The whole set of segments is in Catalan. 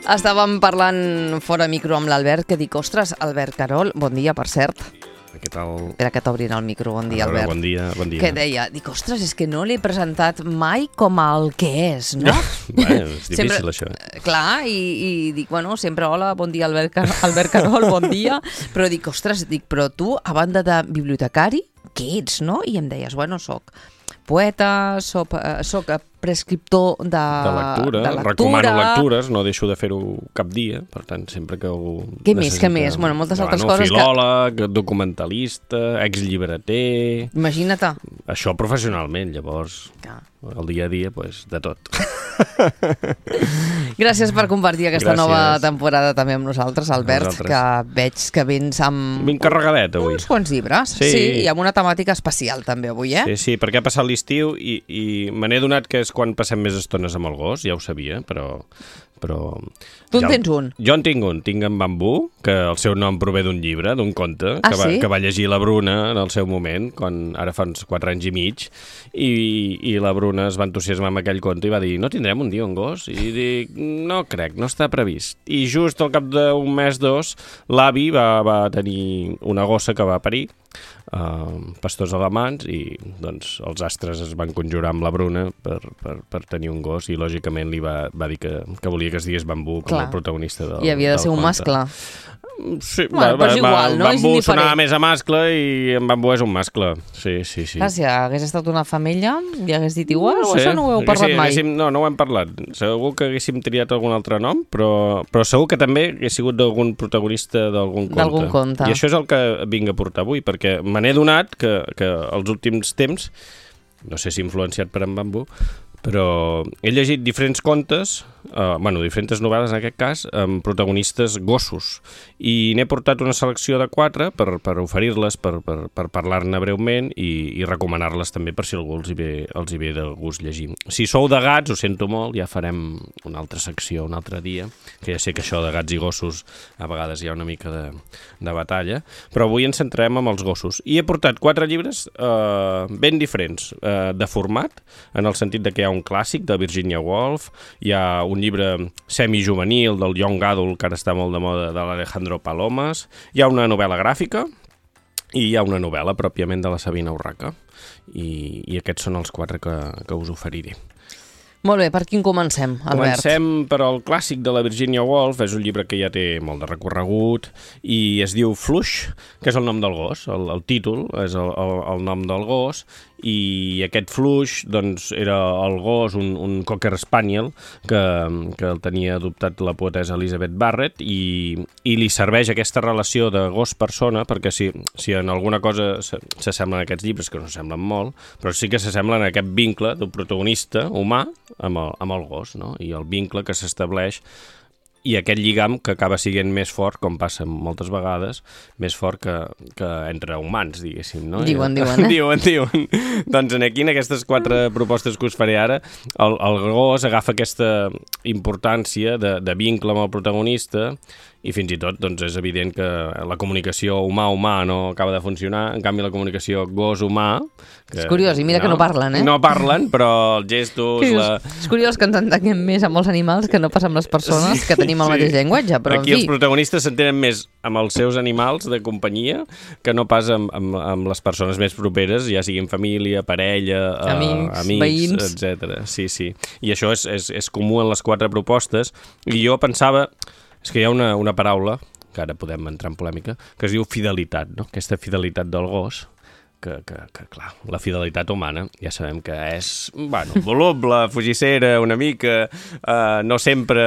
Estàvem parlant fora micro amb l'Albert, que dic, ostres, Albert Carol, bon dia, per cert. Què tal? Espera que t'obrin el micro, bon dia, Albert. Bon dia. Que deia, dic, ostres, és que no l'he presentat mai com el que és, no? Bueno, és difícil, sempre, això. Clar, i dic, bueno, sempre hola, bon dia, Albert Carol, bon dia. Però dic, ostres, però tu, a banda de bibliotecari, què ets, no? I em deies, bueno, soc poeta, soc prescriptor de lectura. Recomano lectures, no deixo de fer-ho cap dia, per tant, sempre que ho Què més? Bueno, moltes altres coses. Filòleg, documentalista, exllibreter... Imagina't. Això professionalment, llavors, el dia a dia, de tot. Gràcies per compartir aquesta nova temporada també amb nosaltres, Albert, que veig que vens amb... Ben carregadet, avui. Uns quants llibres, sí, i amb una temàtica especial també avui, Sí, perquè ha passat l'estiu i me n'he donat que és quan passem més estones amb el gos, ja ho sabia, però... Tu en tens un? Jo en tinc un, tinc en Bambú, que el seu nom prové d'un llibre, d'un conte, que va llegir la Bruna en el seu moment, ara fa uns 4 anys i mig, i la Bruna es va entusiasmar amb aquell conte i va dir, no tindrem un dia un gos? I dic, no crec, no està previst. I just al cap d'un mes, dos, l'avi va tenir una gossa que va parir, pastors alemans, i doncs els astres es van conjurar amb la Bruna per tenir un gos, i lògicament li va dir que volia que es digués Bambú com el protagonista del conte. I havia de ser un mascle. Sí, però és igual, no? Bambú sonava més a mascle i en Bambú és un mascle. Sí. Clar, si hagués estat una femella i hagués dit igual, o això no ho heu parlat mai? No ho hem parlat. Segur que haguéssim triat algun altre nom, però segur que també hagués sigut d'algun protagonista d'algun conte. I això és el que vinc a portar avui, perquè me n'he donat que els últims temps, no sé si influenciat per en Bambú, però he llegit diferents contes, diferents novel·les en aquest cas, amb protagonistes gossos, i n'he portat una selecció de 4 per oferir-les, per parlar-ne breument i recomanar-les també per si algú els hi ve de gust llegir. Si sou de gats, ho sento molt, ja farem una altra secció un altre dia, que ja sé que això de gats i gossos a vegades hi ha una mica de batalla, però avui ens centrem en els gossos. I he portat 4 llibres ben diferents de format, en el sentit de que hi ha un clàssic de Virginia Woolf, hi ha un llibre semijuvenil del Young Adult, que ara està molt de moda, de l'Alejandro Palomas, hi ha una novel·la gràfica i hi ha una novel·la pròpiament de la Sabina Urraca, i aquests són els 4 que us oferiré. Molt bé, per quin comencem, Albert? Comencem per el clàssic de la Virginia Woolf, és un llibre que ja té molt de recorregut i es diu Flush, que és el nom del gos, el títol és el nom del gos, i aquest Flush doncs, era el gos, un Cocker Spaniel, que el tenia adoptat la poetessa Elizabeth Barrett, i li serveix aquesta relació de gos-persona, perquè si en alguna cosa s'assemblen aquests llibres, que no s'assemblen molt, però sí que s'assemblen a aquest vincle d'un protagonista humà amb el gos, no? I el vincle que s'estableix i aquest lligam que acaba sent més fort, com passa moltes vegades, més fort que entre humans, diguéssim, no? Diuen. Doncs aquí, en aquestes 4 propostes que us faré ara, el gos agafa aquesta importància de vincle amb el protagonista, i fins i tot doncs, és evident que la comunicació humà-humà no acaba de funcionar, en canvi la comunicació gos-humà... És curiós, i mira que no parlen, No parlen, però els gestos... És curiós que ens entenguem més amb els animals que no pas amb les persones que tenim el mateix llenguatge, però aquí els protagonistes s'entenen més amb els seus animals de companyia que no pas amb les persones més properes, ja siguin família, parella, amics, veïns, etc. Sí. I això és comú en les 4 propostes, i jo pensava... És que hi ha una paraula, que ara podem entrar en polèmica, que es diu fidelitat, no? Aquesta fidelitat del gos, que clar, la fidelitat humana ja sabem que és, voluble, fugissera, una mica, no sempre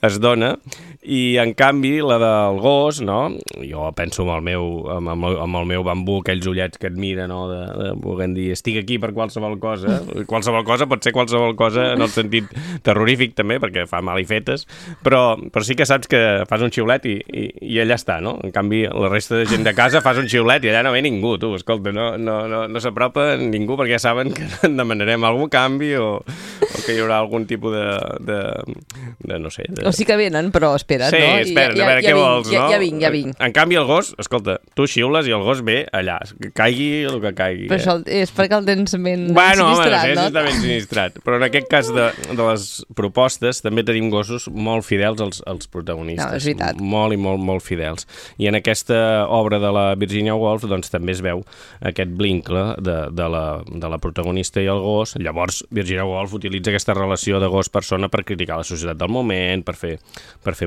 es dona, i en canvi la del gos, no? Jo penso amb el meu Bambú, aquells ullets que et mira, no? de volent dir, estic aquí per qualsevol cosa pot ser qualsevol cosa en el sentit terrorífic també, perquè fa malifetes, però sí que saps que fas un xiulet i allà està, no? En canvi la resta de gent de casa fas un xiulet i allà no ve ningú, tu, escolta, no s'apropa ningú perquè ja saben que demanarem algun canvi o que hi haurà algun tipus de no sé... O sí que venen, però espera, espera't, no? Sí, espera't, a veure què vols, no? Ja vinc. En canvi, el gos, escolta, tu xiules i el gos ve allà, que caigui el que caigui. Però això és perquè el tens ben sinistrat, no? Bueno, sí, està ben sinistrat. Però en aquest cas de les propostes també tenim gossos molt fidels als protagonistes. No, és veritat. Molt i molt fidels. I en aquesta obra de la Virginia Woolf doncs també es veu aquest vincle de la protagonista i el gos. Llavors, Virginia Woolf utilitza aquesta relació de gos-persona per criticar la societat del moment, per fer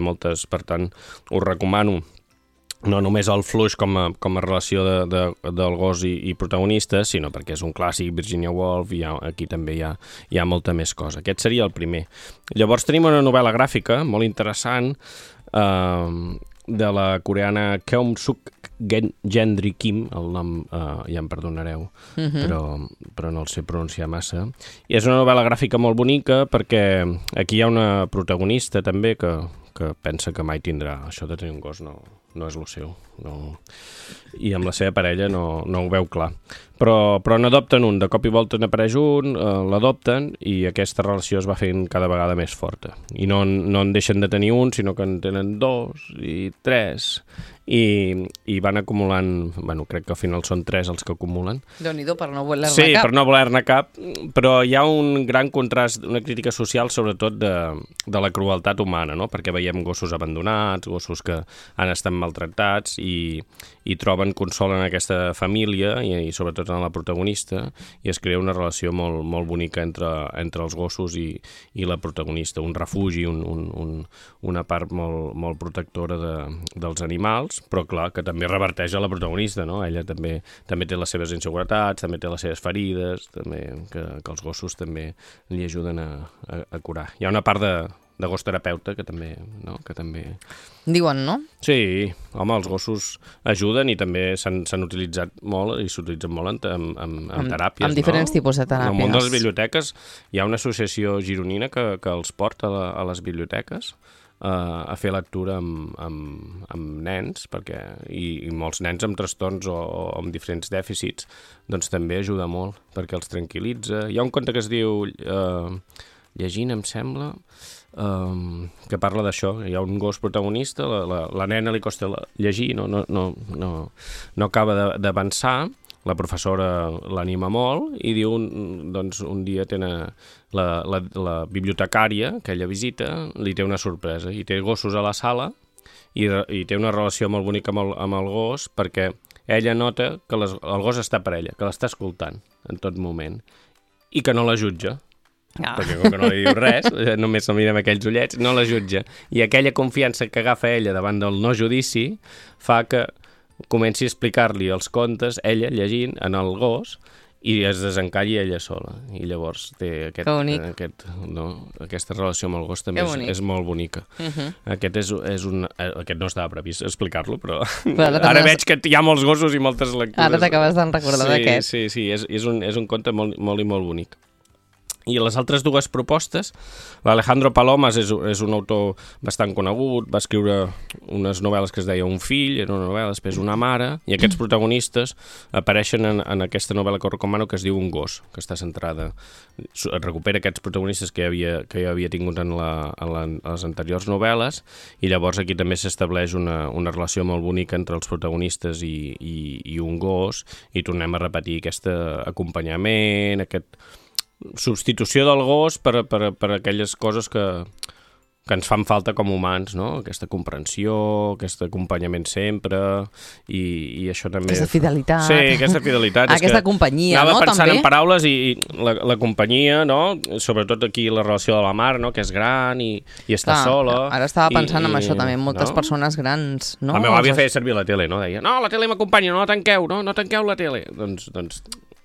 moltes... Per tant, us recomano no només el fluix com a relació del gos i protagonista, sinó perquè és un clàssic, Virginia Woolf, i aquí també hi ha molta més cosa. Aquest seria el primer. Llavors tenim una novel·la gràfica molt interessant de la coreana Keum Suk Gendry Kim, el nom ja em perdonareu, però no el sé pronunciar massa. I és una novel·la gràfica molt bonica perquè aquí hi ha una protagonista també que pensa que mai tindrà. Això de tenir un gos no és el seu. No. I amb la seva parella no ho veu clar. Però n'adopten un. De cop i volta n'apareix un, l'adopten i aquesta relació es va fent cada vegada més forta. I no en deixen de tenir un, sinó que en tenen 2 i 3 i van acumulant, bueno, crec que al final són 3 els que acumulen. Déu-n'hi-do, per no voler-ne cap. Sí, per no voler-ne cap, però hi ha un gran contrast, una crítica social sobretot de la crueltat humana, no? Perquè veiem gossos abandonats, gossos que han estat maltractats i troben consol en aquesta família i sobretot en la protagonista, i es crea una relació molt bonica entre els gossos i la protagonista, un refugi, una part molt protectora dels animals, però clar, que també reverteix a la protagonista, no? Ella també té les seves inseguretats, també té les seves ferides, també que els gossos també li ajuden a curar. Hi ha una part de gos terapeuta que també, no? Que també... Diuen, no? Sí, home, els gossos ajuden i també s'han utilitzat molt i s'utilitzen molt en teràpies, amb diferents tipus de teràpies. En el món de les biblioteques hi ha una associació gironina que els porta a les biblioteques a fer lectura amb nens, i molts nens amb trastorns o amb diferents dèficits, doncs també ajuda molt, perquè els tranquil·litza. Hi ha un conte que es diu Llegint, em sembla, que parla d'això. Hi ha un gos protagonista, la nena li costa llegir, no acaba d'avançar, la professora l'anima molt i diu, doncs un dia tenen la bibliotecària que ella visita, li té una sorpresa i té gossos a la sala i té una relació molt bonica amb el gos perquè ella nota que el gos està per ella, que l'està escoltant en tot moment i que no la jutja. Perquè com que no li diu res, només se'l mira amb aquells ullets, no la jutja. I aquella confiança que agafa ella davant del no judici fa que comenci a explicar-li els contes, ella llegint en el gos, i es desencalli ella sola. I llavors té aquesta relació amb el gos també és molt bonica. Aquest no estava previst explicar-lo, però ara veig que hi ha molts gossos i moltes lectures. Ara t'acabes de recordar d'aquest. Sí, és un conte molt i molt bonic. I les altres dues propostes, l'Alejandro Palomas és un autor bastant conegut, va escriure unes novel·les que es deia Un fill, era una novel·la, després Una mare, i aquests protagonistes apareixen en aquesta novel·la que us recomano que es diu Un gos, que està centrada, recupera aquests protagonistes que ja havia tingut en les anteriors novel·les, i llavors aquí també s'estableix una relació molt bonica entre els protagonistes i un gos, i tornem a repetir aquest acompanyament, substitució del gos per aquelles coses que ens fan falta com humans, no? Aquesta comprensió, aquest acompanyament sempre, i això també... Aquesta fidelitat. Sí, aquesta fidelitat. Aquesta companyia, no? Anava pensant també en paraules i la companyia, no? Sobretot aquí la relació de la mare, no? Que és gran i està sola. Ara estava pensant en això també, moltes persones grans, no? La meva àvia feia servir la tele, no? Deia, no, la tele m'acompanya, no la tanqueu, no tanqueu la tele. Doncs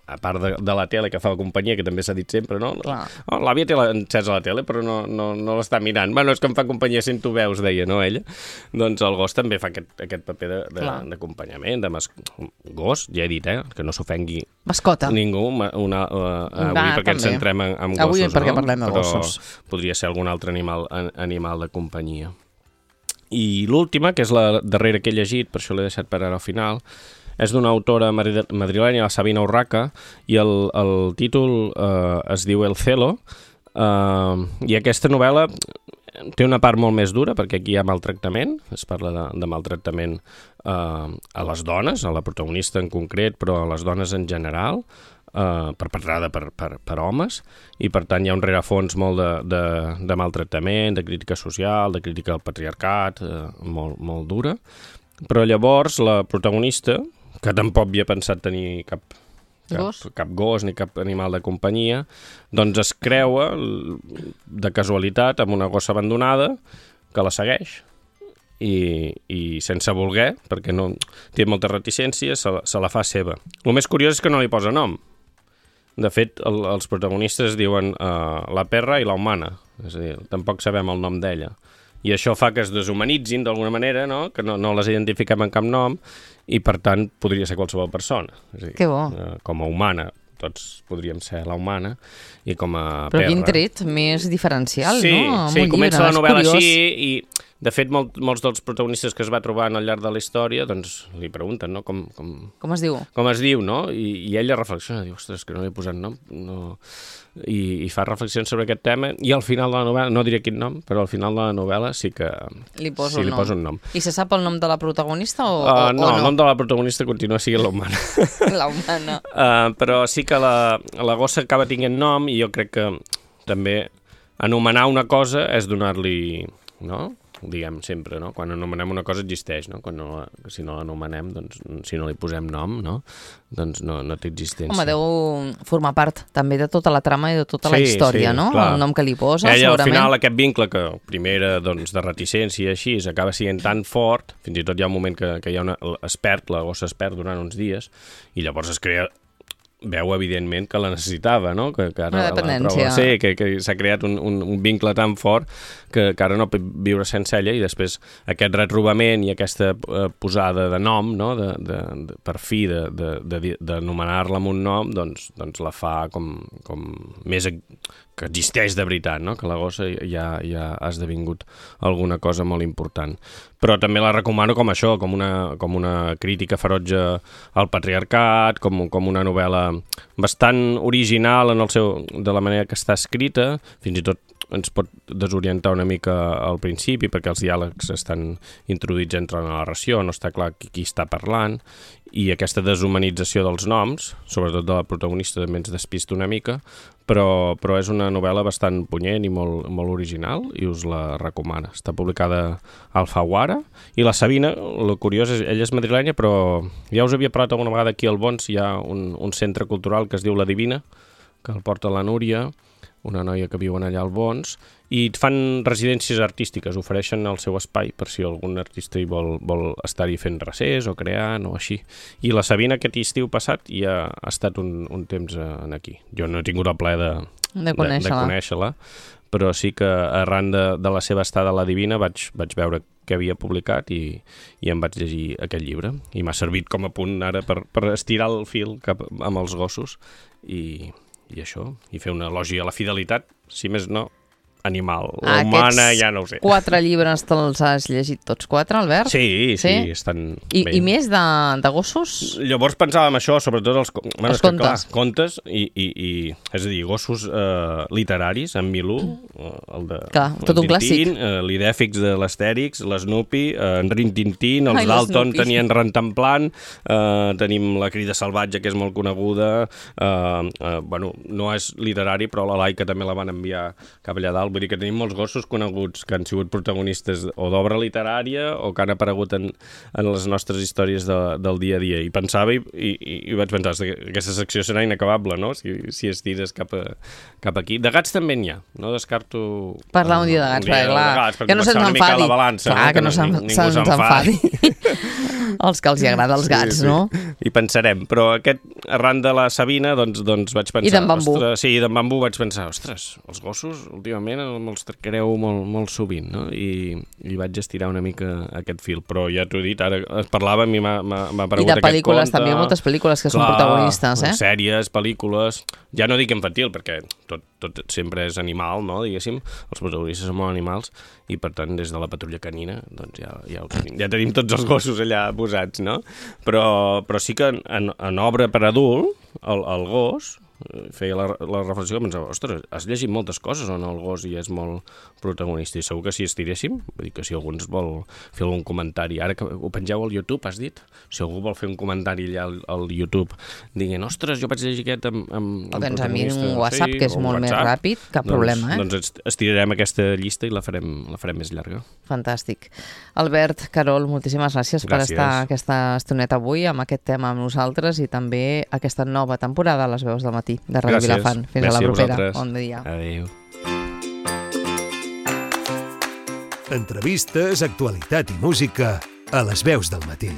a part de la tele que fa la companyia, que també s'ha dit sempre, no? L'àvia té encesa la tele, però no l'està mirant. Bueno, és que em fa companyia, sento veus, deia, no, ella? Doncs el gos també fa aquest paper d'acompanyament, gos, ja he dit, que no s'ofengui mascota ningú, avui perquè ens centrem en gossos, avui perquè parlem de gossos. Però podria ser algun altre animal de companyia. I l'última, que és la darrera que he llegit, per això l'he deixat per ara al final, és d'una autora madrilenya, la Sabina Urraca, i el títol es diu El celo, i aquesta novel·la té una part molt més dura, perquè aquí hi ha maltractament, es parla de maltractament a les dones, a la protagonista en concret, però a les dones en general, perpetrada per homes, i per tant hi ha un rerefons molt de maltractament, de crítica social, de crítica al patriarcat, molt dura. Però llavors la protagonista, que tampoc havia pensat tenir cap gos ni cap animal de companyia, doncs es creua de casualitat amb una gossa abandonada que la segueix i sense voler, perquè no té moltes reticències, se la fa seva. El més curiós és que no li posa nom. De fet, els protagonistes diuen la perra i la humana, és a dir, tampoc sabem el nom d'ella. I això fa que es deshumanitzin d'alguna manera, no? Que no les identifiquem amb cap nom, i per tant podria ser qualsevol persona. És a dir, que bo. Com a humana, tots podríem ser la humana, i com a perra. Però quin tret més diferencial, no? Sí, comença la novel·la així, i de fet molts dels protagonistes que es va trobant al llarg de la història, doncs li pregunten, no? Com es diu? Com es diu, no? I ella reflexiona, diu, ostres, que no li he posat nom, no... I fa reflexions sobre aquest tema, i al final de la novel·la, no diré quin nom, però al final de la novel·la sí que li poso un nom. I se sap el nom de la protagonista o no? El nom de la protagonista continua sent la humana. La humana. Però sí que la gossa acaba tinguent nom, i jo crec que també anomenar una cosa és donar-li, no? Ho diguem sempre, no? Quan anomenem una cosa existeix, no? Si no l'anomenem, doncs, si no li posem nom, no? Doncs no té existència. Home, deu formar part també de tota la trama i de tota la història, no? Clar. El nom que li posa, ella, segurament. Al final, aquest vincle que primer era doncs, de reticència i així, acaba sent tan fort, fins i tot hi ha un moment que hi ha la gossa es perd durant uns dies, i llavors es crea... Veu, evidentment, que la necessitava, no? Que ara una dependència. Que s'ha creat un vincle tan fort que ara no pot viure sense ella, i després aquest retrobament i aquesta posada de nom, no? Per fi d'anomenar-la amb un nom, doncs la fa com més que existeix de veritat, no? Que la gossa ja ha esdevingut alguna cosa molt important. Però també la recomano com això, com una crítica ferotge al patriarcat, com una novel·la bastant original de la manera que està escrita, fins i tot ens pot desorientar una mica al principi perquè els diàlegs estan introduïts entre la narració, no està clar qui està parlant, i aquesta deshumanització dels noms, sobretot de la protagonista, també ens despista una mica, però és una novel·la bastant punyent i molt original, i us la recomano. Està publicada a Alfaguara, i la Sabina, el curiós és, ella és madrilenya, però ja us havia parlat alguna vegada aquí al Bons, hi ha un centre cultural que es diu La Divina, que el porta la Núria, una noia que viuen allà al Bons, i fan residències artístiques, ofereixen el seu espai per si algun artista hi vol estar-hi fent recés o creant o així. I la Sabina aquest estiu passat ja ha estat un temps aquí. Jo no he tingut el plaer de conèixer-la, però sí que arran de la seva estada a La Divina vaig veure que havia publicat i em vaig llegir aquest llibre. I m'ha servit com a punt ara per estirar el fil amb els gossos i això, i fer una elogi a la fidelitat, si més no, animal. La humana ja no ho sé. 4 llibres te'ls has llegit tots 4, Albert? Sí, estan bé. I més de gossos? Llavors pensàvem això, sobretot els contes. Clar, contes i és a dir, gossos literaris, en Milú, el de tot un clàssic. L'Idèfix de l'Astèrix, l'Snoopy, en Rin Tin Tin, els Dalton tenien Rentemplant, tenim La Crida Salvatge, que és molt coneguda, no és literari, però la Laika també la van enviar cap allà dalt. Vull dir que tenim molts gossos coneguts que han sigut protagonistes o d'obra literària o que han aparegut en les nostres històries del dia a dia. I pensava i vaig pensar que aquesta secció serà inacabable, no? Si estires cap aquí. De gats també n'hi ha. No descarto... Parlar un dia de gats, clar. Que no se'ns enfadi. Clar, que no se'ns enfadi. Els que els hi agrada els gats, no? I pensarem. Però arran de la Sabina, doncs vaig pensar... I d'en Bambú. Sí, d'en Bambú vaig pensar, ostres, els gossos últimament me'ls tractareu molt sovint, no? I vaig estirar una mica aquest fil, però ja t'ho he dit, ara es parlava i m'ha aparegut aquest conte. I de pel·lícules, també moltes pel·lícules que són protagonistes, sèries, pel·lícules, ja no dic infantil, perquè tot sempre és animal, no? Diguéssim, els protagonistes són molt animals, i per tant, des de La Patrulla Canina, doncs ja tenim tots els gossos allà posats, no? Però sí que en obra per adult, el gos, feia la reflexió que pensava, ostres, has llegit moltes coses on el gos hi és molt protagonista, i segur que si estiréssim, vull dir que si algú ens vol fer algun comentari, ara que ho pengeu al YouTube, has dit? Si algú vol fer un comentari allà al YouTube dient, ostres, jo vaig llegir aquest amb doncs a mi un WhatsApp, que és molt més ràpid, cap problema. Doncs estirarem aquesta llista i la farem més llarga. Fantàstic. Albert, Carol, moltíssimes gràcies per estar aquesta estoneta avui amb aquest tema amb nosaltres i també aquesta nova temporada a les veus del matí de Ràdio Vilafant. Fins a la propera. Bon dia. Adéu. Entrevistes, actualitat i música a les veus del matí.